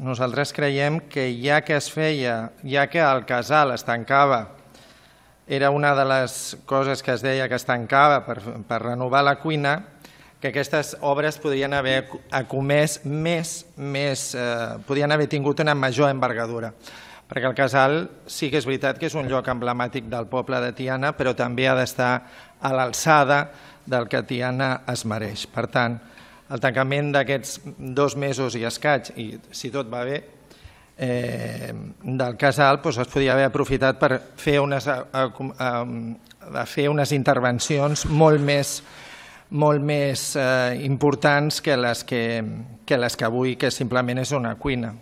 Nosaltres creiem que ja que el casal es tancava, era una de les coses que es deia que es tancava per renovar la cuina, que aquestes obres podrien haver comès podrien haver tingut una major envergadura. Perquè el casal sí que és veritat que és un lloc emblemàtic del poble de Tiana, però també ha d'estar a l'alçada del que Tiana es mereix. Per tant, el tancament d'aquests 2 mesos i escaig, i si tot va bé, del casal es podria haver aprofitat per fer unes intervencions molt més importants que les que avui, que simplement és una cuina.